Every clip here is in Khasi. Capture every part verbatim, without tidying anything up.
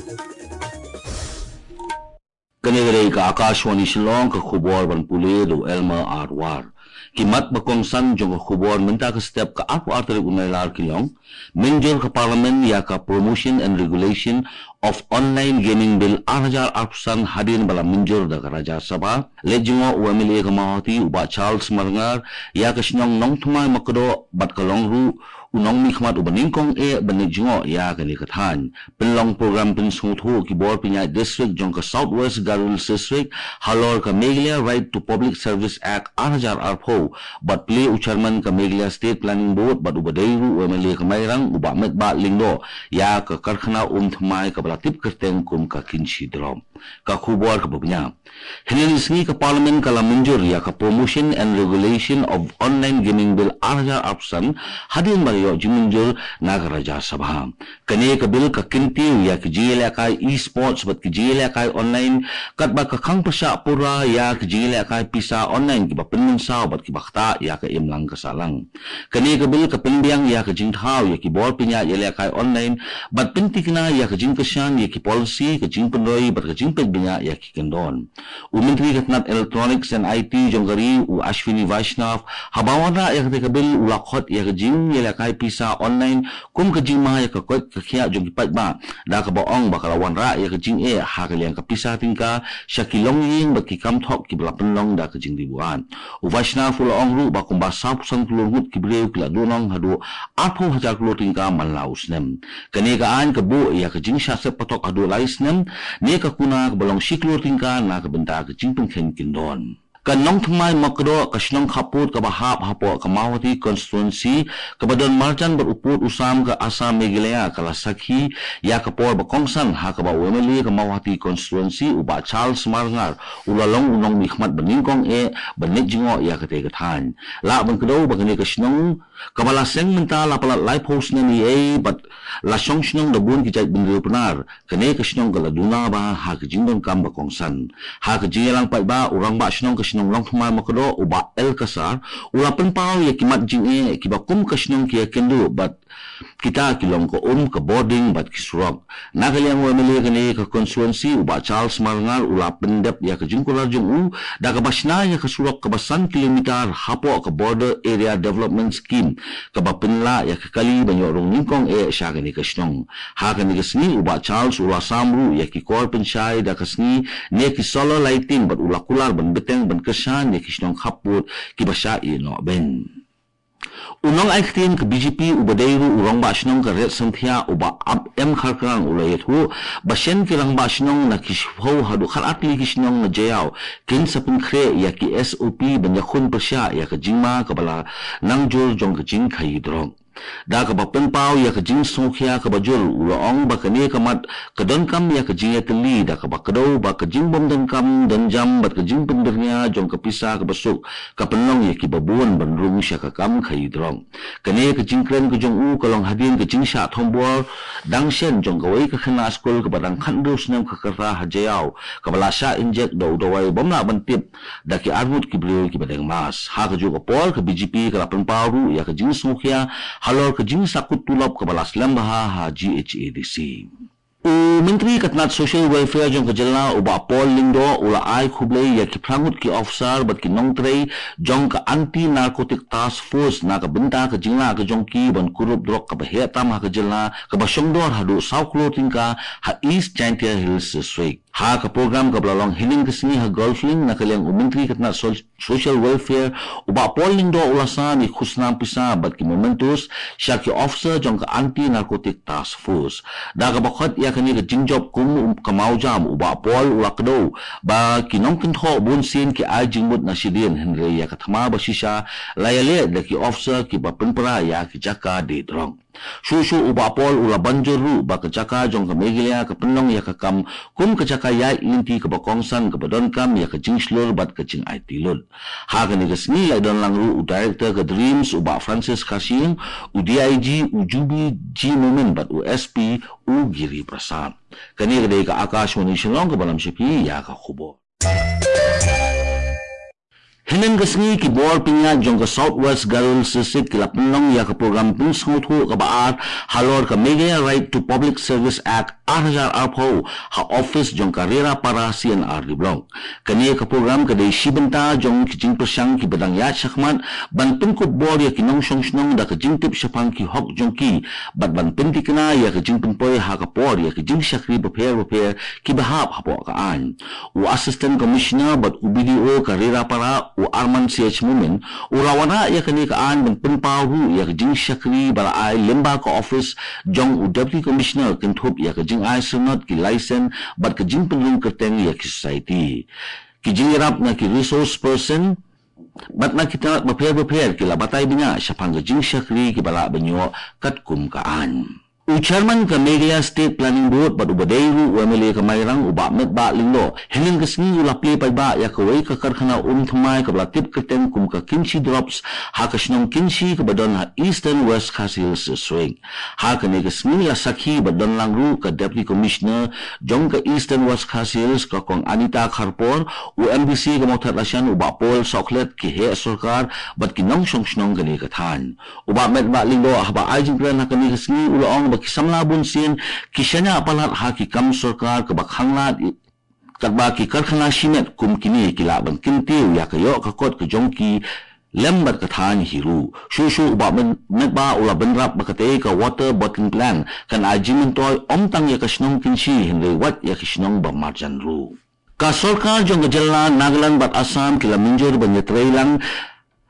Kane ka dei ka Akashvani Shillong, ka khubor ban pule da u Elmer Arwar. Ki mat ba kongsan jong ka khubor mynta ka step ka arphew ar tarik u Nailar ki long: mynjur ka Parliament ïa ka Promotion and Regulation of Online Gaming Bill ar hajar arphew san hadien ba la mynjur da ka Rajya Sabha. Leit jngoh u M L A ka Mawhati u Bah Charles Marngar ïa ka shnong Nongthymmai Makdoh bad ka long ruh u nongmihkhmat uba nyngkong eh ban leit jngoh ïa kane ka thaiñ. Pynlong program pynsngewthuh ki bor pynïaid district jong ka South West Garo Hills District halor ka Meghalaya Right to Public Service Act ar hajar arphew bad plie u chairman ka Meghalaya State Planning Board bad uba dei ruh u M L A ka Mairang u Bah Metbah Lyngdoh ïa ka karkhana um thymmai kaba la tip kyrteng kum ka Kynshi Drop. Ka khubor kaba bniah. Hynne ka sngi ka Parliament ka la mynjur ïa ka Promotion and Regulation of Online Gaming Bill ar hajar arphew san hadien ba la ïoh jingmynjur na ka Rajya Sabha. Kane ka bill ka kyntiew ïa ki jingïalehkai e-sports bad ki jingïalehkai online, katba ka khang pyrshah pura ïa ki jingïalehkai pisa online kiba pynmynsaw bad kiba ktah ïa ka imlang ka sahlang. Kane ka bill ka pynbiang ïa ka jingthaw ïa ki bor pynïaid ïalehkai online bad pynthikna ïa ka jingkyrshan ïa ki policy, ka jingpynroi bad ka jingpeit bniah ïa ki kyndon. U Myntri ka tnat Electronics and I T jong ka ri u Ashwini Vaishnaw haba wanrah ïa kata ka bill u la khot ïa ka jingïalehkai pisa online kum ka jingma ïa ka koit ka khiah jong ki paidbah, da kaba ong ba ka la wanrah ïa ka jingeh ha ka liang ka pisa tyngka sha ki longïing bad ki kam thok kiba la pynlong da ka jingdih buaid. U Vaishnaw u la ong ruh ba kumba sawphew san klur ngut ki briew ki la duhnong haduh arphew hajar klur tyngka man la u snem. Kane ka aiñ ka buh ïa ka jingshah seppatok haduh lai snem ne ka kuna kaba long shi klur tyngka na ka bynta ka jingpynkheiñ kyndon. Ka Nongthymmai Makdoh, ka shnong khappud kaba hap hapoh ka Mawhati constituency, kaba don marjan bad u pud u sam ka Assam Meghalaya, ka la sakhi ïa ka por ba kongsan ha kaba u M L A ka Mawhati constituency u Bah Charles Marngar u la long u nongmihkhmat ba nyngkong eh ban leit jngoh ïa kata ka thaiñ. Lah ban kdew ba kane ka shnong kaba la seng mynta la palat laiphew snem eiei bad la shong shnong da bun ki jaitbynriew Pnar. Kane ka shnong ka la duna bha ha ka jingdonkam ba kongsan. Ha ka jingïalang paidbah, u rangbah shnong ka shnong Nongthymmai Makdoh u Bah L Kasar u la pynpaw ïa ki mat jingeh kiba kum ka shnong ki ïakynduh bad kita ki long ka um, ka bording bad ki surok. Na ka liang u M L A kane ka constituency u Bah Charles Marngar u la pyndep ïa ka jingkular jong u da kaba shna ïa ka surok kaba san kilometer hapoh ka Border Area Development Scheme kaba pynlah ïa ka kali ban ïoh rung nyngkong eh sha kane ka shnong. Ha kane ka sngi u Bah Charles u la sam ruh ïa ki kor pynshai da ka sngi ne ki solar lighting bad u la kular ban bteng ban kyrshan ïa ki shnong khappud kiba shah ïehnoh beiñ. U nongai ktien ka B J P uba dei ruh u rangbah shnong ka Riatsynthiah u Bah Ap M Kharkrang u la ïathuh ba shen ki rangbah shnong na ki shiphew haduh khatar tylli ki shnong na Jaïaw kin sa pynkhreh ïa ki S O P ban ïakhun pyrshah ïa ka jingma kaba la nang jur jong ka jingkhaïi drok. Da kaba pynpaw ïa ka jingsngewkhia kaba jur u la ong ba kane ka mat ka donkam ïa ka jingïatylli da kaba kdew ba ka jingbym donkam donjam bad ka jingbyrngia jong ka pisa kaba suk ka pynlong ïa kiba bun ban rung sha ka kam khaïi drok. Kane ka jingkren ka jong u ka long hadien ka jingshah thombor dang shen jong kawei ka khynnah skul kaba dang khathynriew snem ka rta ha Jaïaw kaba la shah injek da u dawai bym lah ban tip da ki arngut ki briew kiba deng mask. Ha kajuh ka por ka B J P ka la pynpaw ruh ïa ka jingsngewkhia halor ka jingsakut tulop kaba la slem bha ha G H A D C. U Myntri ka tnat Social Welfare jong ka jylla u Bah Paul Lyngdoh u la ai khublei ïa ki phra ngut ki officer bad ki nongtrei jong ka Anti Narcotic Task Force na ka bynta ka jinglah ka jong ki ban kurup drok kaba heh tam ha ka jylla kaba shongdor haduh saw klur tyngka ha East Jaintia Hills District. Ha ka program kaba la long hynnin ka sngi ha Golf Link na ka liang u Myntri ka tnat Sol- Social Welfare u Bah Paul Lyngdoh u la sam ïa ki khusnam pisa bad ki mementos sha ki officer jong ka Anti Narcotic Task Force. Da kaba khot ïa kane ka jingjop kum ka mawjam u Bah Paul u la kdew ba ki nongkynthoh bunsien ki ai jingmut na shadien hynrei ïa ka thma ba shisha la ïaleh da ki officer kiba pynpra ïa ki jaka die drok. Shuh shuh u Bah Paul u la ban jur ruh ba ka jaka jong ka Meghalaya ka pynlong ïa ka kam kum ka jaka ïaid lynti kaba kongsan kaba donkam ïa ka jingshlur bad ka jingaiti lut. Ha kane ka sngi la don lang ruh u Director ka DREAMS u Bah Francis Kharshiing, u D I G u Jubi G Momin bad u S P u Giri Prasad. Kane ka dei ka Akashvani Shillong kaba lam sha phi ïa ka khubor. Hynnin ka sngi ki bor pynïaid jong ka South West Garo Hills District ki la pynlong ïa ka program pynsngewthuh kaba ar halor ka Meghalaya Right to Public Service Act ar hajar arphew ha office jong ka Rerapara C&RD Block. Kane ka program ka dei shi bynta jong ki jingpyrshang kiba dang ïaid shakhmat ban pynkup bor ïa ki nongshong shnong da ka jingtip shaphang ki hok jong ki bad ban pyntikna ïa ka jingpynpoi ha ka por ïa ki jingshakri bapher bapher kiba hap hapoh ka aiñ. U Assistant Commissioner bad u BDO ka Rerapara, u Arman Ch Momin, u la wanrah ïa kane ka aiñ ban pynpaw ruh ïa ka jingshakri ba la ai lyngba ka office jong u Deputy Commissioner kynthup ïa ka jingai syrnod ki license bad ka jingpynrung kyrteng ïa ki society. Ki jingïarap na ki resource person bad na ki tnat bapher bapher ki la batai bniah shaphang ka jingshakri kiba lah ban ïoh katkum ka aiñ. U Chairman ka Meghalaya State Planning Board bad uba dei ruh u MLA ka Mairang, u Bah Metbah Lyngdoh, hynnin ka sngi u la plie paidbah ïa kawei ka karkhana um thymmai kaba la tip kyrteng kum ka Kynshi Drops ha ka shnong Kynshi kaba don ha Eastern West Khasi Hills District. Ha kane ka sngi la sakhi bad don lang ruh ka Deputy Commissioner jong ka Eastern West Khasi Hills, ka Kong Anita Kharpor, u MDC ka Mawthadraishan, u Bah Paul Sohkhlet, ki heh sorkar bad ki nongshong shnong kane ka thaiñ. U Bah Metbah Lyngdoh haba ai jingkren ha kane ka sngi u la ong ba ki samla bunsien ki shaniah palat ha ki kam sorkar kaba khanglad, katba ki karkhana shimet kum kine ki lah ban kyntiew ïa ka ïoh ka kot ka jong ki lem bad ka thaiñ hi ruh. Shuh shuh u Bah Met-, Metbah u la bynrap ba katei ka water bottling plant kan ai jingmyntoi ym tang ïa ka shnong Kynshi hynrei wat ïa ki shnong ba marjan ruh. Ka sorkar jong ka jylla Nagaland bad Assam ki la mynjur ban ïatreilang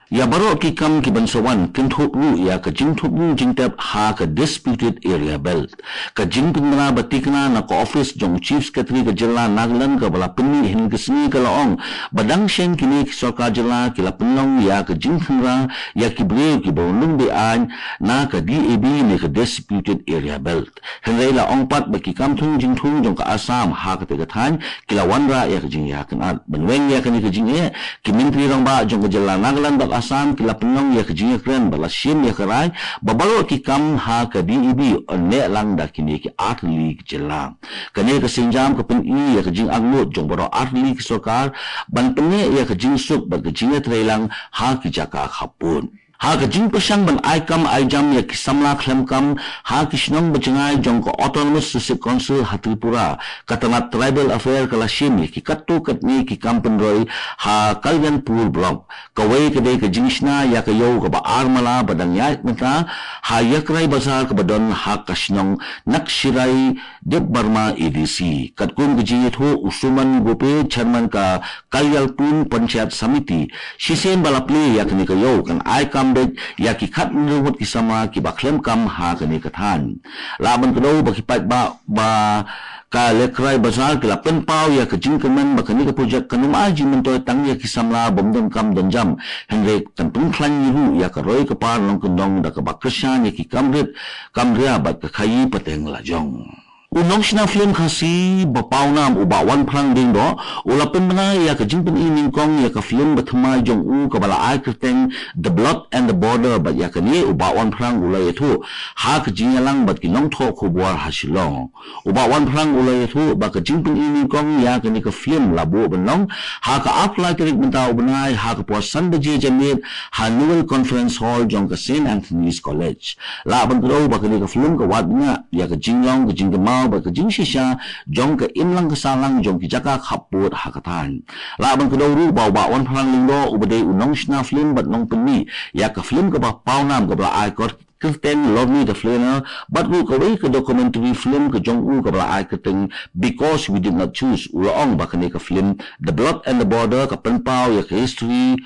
ïa baroh ki kam kiban sa wan, kynthup ruh ïa ka jingthmu jingtep ha ka Disputed Area Belt. Ka jingpynbna ba tikna na ka office jong u Chief Secretary ka jylla Nagaland kaba la pynmih hynnin ka sngi ka la ong ba dang shen kine ki sorkar jylla ki la pynlong ïa ka jingkhynra ïa ki briew kiba rung be-aiñ na ka D A B ne ka Disputed Area Belt. Hynrei la ong pat ba ki kam thung jingthung jong ka Assam ha katei ka thaiñ ki la wanrah ïa ka jingïakynad. Ban weng ïa kane ka jingeh, ki Myntri Rangbah jong ka jylla Nagaland bad Assam ki la pynlong ïa ka jingïakren bad la shim ïa ka rai ba baroh ki kam ha ka D A B yn neh lang da kine ki artylli ki jylla. Kane ka sienjam ka pyni ïa ka jingangnud jong baroh artylli ki sorkar ban pynneh ïa ka jingsuk bad ka jingïatreilang ha ki jaka khappud. Ha ka jingpyrshang ban ai kam ai jam ïa ki samla khlem kam ha ki shnong ba jngai jong ka Autonomous District Council ha Tripura, ka tnat Tribal Affair ka la shim ïa ki katto katne ki kam pynroi ha Kalyanpur Block. Kawei ka dei ka jingshna ïa ka ïew kaba ar mala ba dang ïaid mynta ha Yakrai Bazar kaba don ha ka shnong Nakshirai Debbarma A D C. Katkum ka jingïathuh u Suman Gope, Chairman ka Kalyalpur Panchayat Samiti, shisien ba la plie ïa kane ka ïew kan ai kam beit ïa ki khathynriew ngut ki samla kiba khlem kam ha kane ka thaiñ. Lah ban kdew ba ki paidbah ba ka Yakrai Bazar ki la pynpaw ïa ka jingkyrmen ba kane ka projek kan ym ai jingmyntoi tang ïa ki samla bym don kam don jam, hynrei kan pynkhlaiñ ruh ïa ka roi ka par nongkyndong da kaba kyrshan ïa ki kam rit kam ria bad ka khaïi pateng lajong. U nongshna film Khasi ba pawnam u Bah Wanphrang Lyngdoh u la pynbna ïa ka jingpyni nyngkong ïa ka film ba thymmai jong u kaba la ai kyrteng The Blood and the Border, bad ïa kane u Bah Wanphrang u la ïathuh ha ka jingïalang bad ki nongthoh khubor ha Shillong. U Bah Wanphrang u la ïathuh ba ka jingpyni nyngkong ïa kane ka film la buh ban long ha ka arphew lai tarik mynta u bnai ha ka por san baje janmiet ha Newell Conference Hall jong ka Saint Anthony's College. Lah ban kdew ba kane ka film ka wad bniah ïa ka jinglong ka jingkynmaw bad ka jingshisha jong ka imlang ka sahlang jong ki jaka khappud ha ka thaiñ. Lah ban kdew ruh ba u Bah Wanphrang Lyngdoh uba dei u nongshna film bad nongpynmih ïa ka film kaba pawnam kaba la ai kyrteng Lorni the Flaneur, bad ruh kawei ka documentary film ka jong u kaba la ai kyrteng Because We Did Not Choose, u la ong ba kane ka film The Blood and the Border ka pynpaw ïa ka history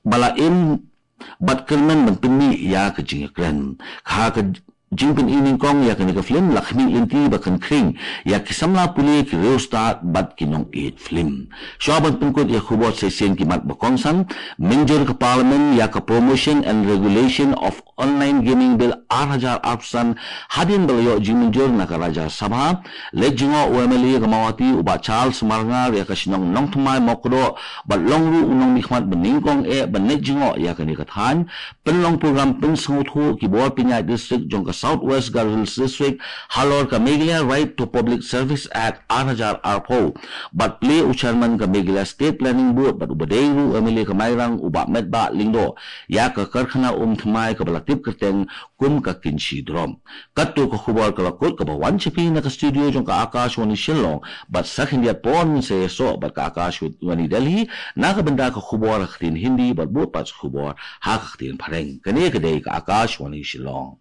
ba la im bad kyrmen ban pynmih ïa ka jingïakren. Ha ka jingpyni nyngkong ïa kane ka film la khmih lynti ba kan khring ïa ki samla pule, ki riewstad bad ki nongïeit film. Shuwa ban pynkut ïa ka khubor sa shisien ki mat ba kongsan. Mynjur ka Parliament ïa ka Promotion and Regulation of Online Gaming Bill ar hajar arphew san hadien ba la ïoh jingmynjur na ka Rajya Sabha. Leit jngoh u MLA ka Mawhati u Bah Charles Marngar ïa ka shnong Nongthymmai Mawkdok bad long ruh u nongmihkhmat ba nyngkong eh ban leit jngoh ïa kane ka thaiñ. Pynlong program pynsngewthuh ki bor pynïaid district jong ka South West Garo Hills District halor ka Meghalaya Right to Public Service Act ar hajar arphew, bad plie u Chairman ka Meghalaya State Planning Board bad uba dei ruh u M L A ka Mairang u Bah Metbah Lyngdoh ïa ka karkhana um thymmai kaba la tip kyrteng kum ka Kynshi Drop. Katto ka khubor ka la kut kaba wan sha phi na ka studio jong ka Akashvani Shillong, bad sa khyndiat por ngin sa ïasoh bad ka Akashvani Delhi na ka bynta ka khubor ha ka ktien Hindi bad bud pat ka khubor ha ka ktien Phareng. Kane ka dei ka Akashvani Shillong.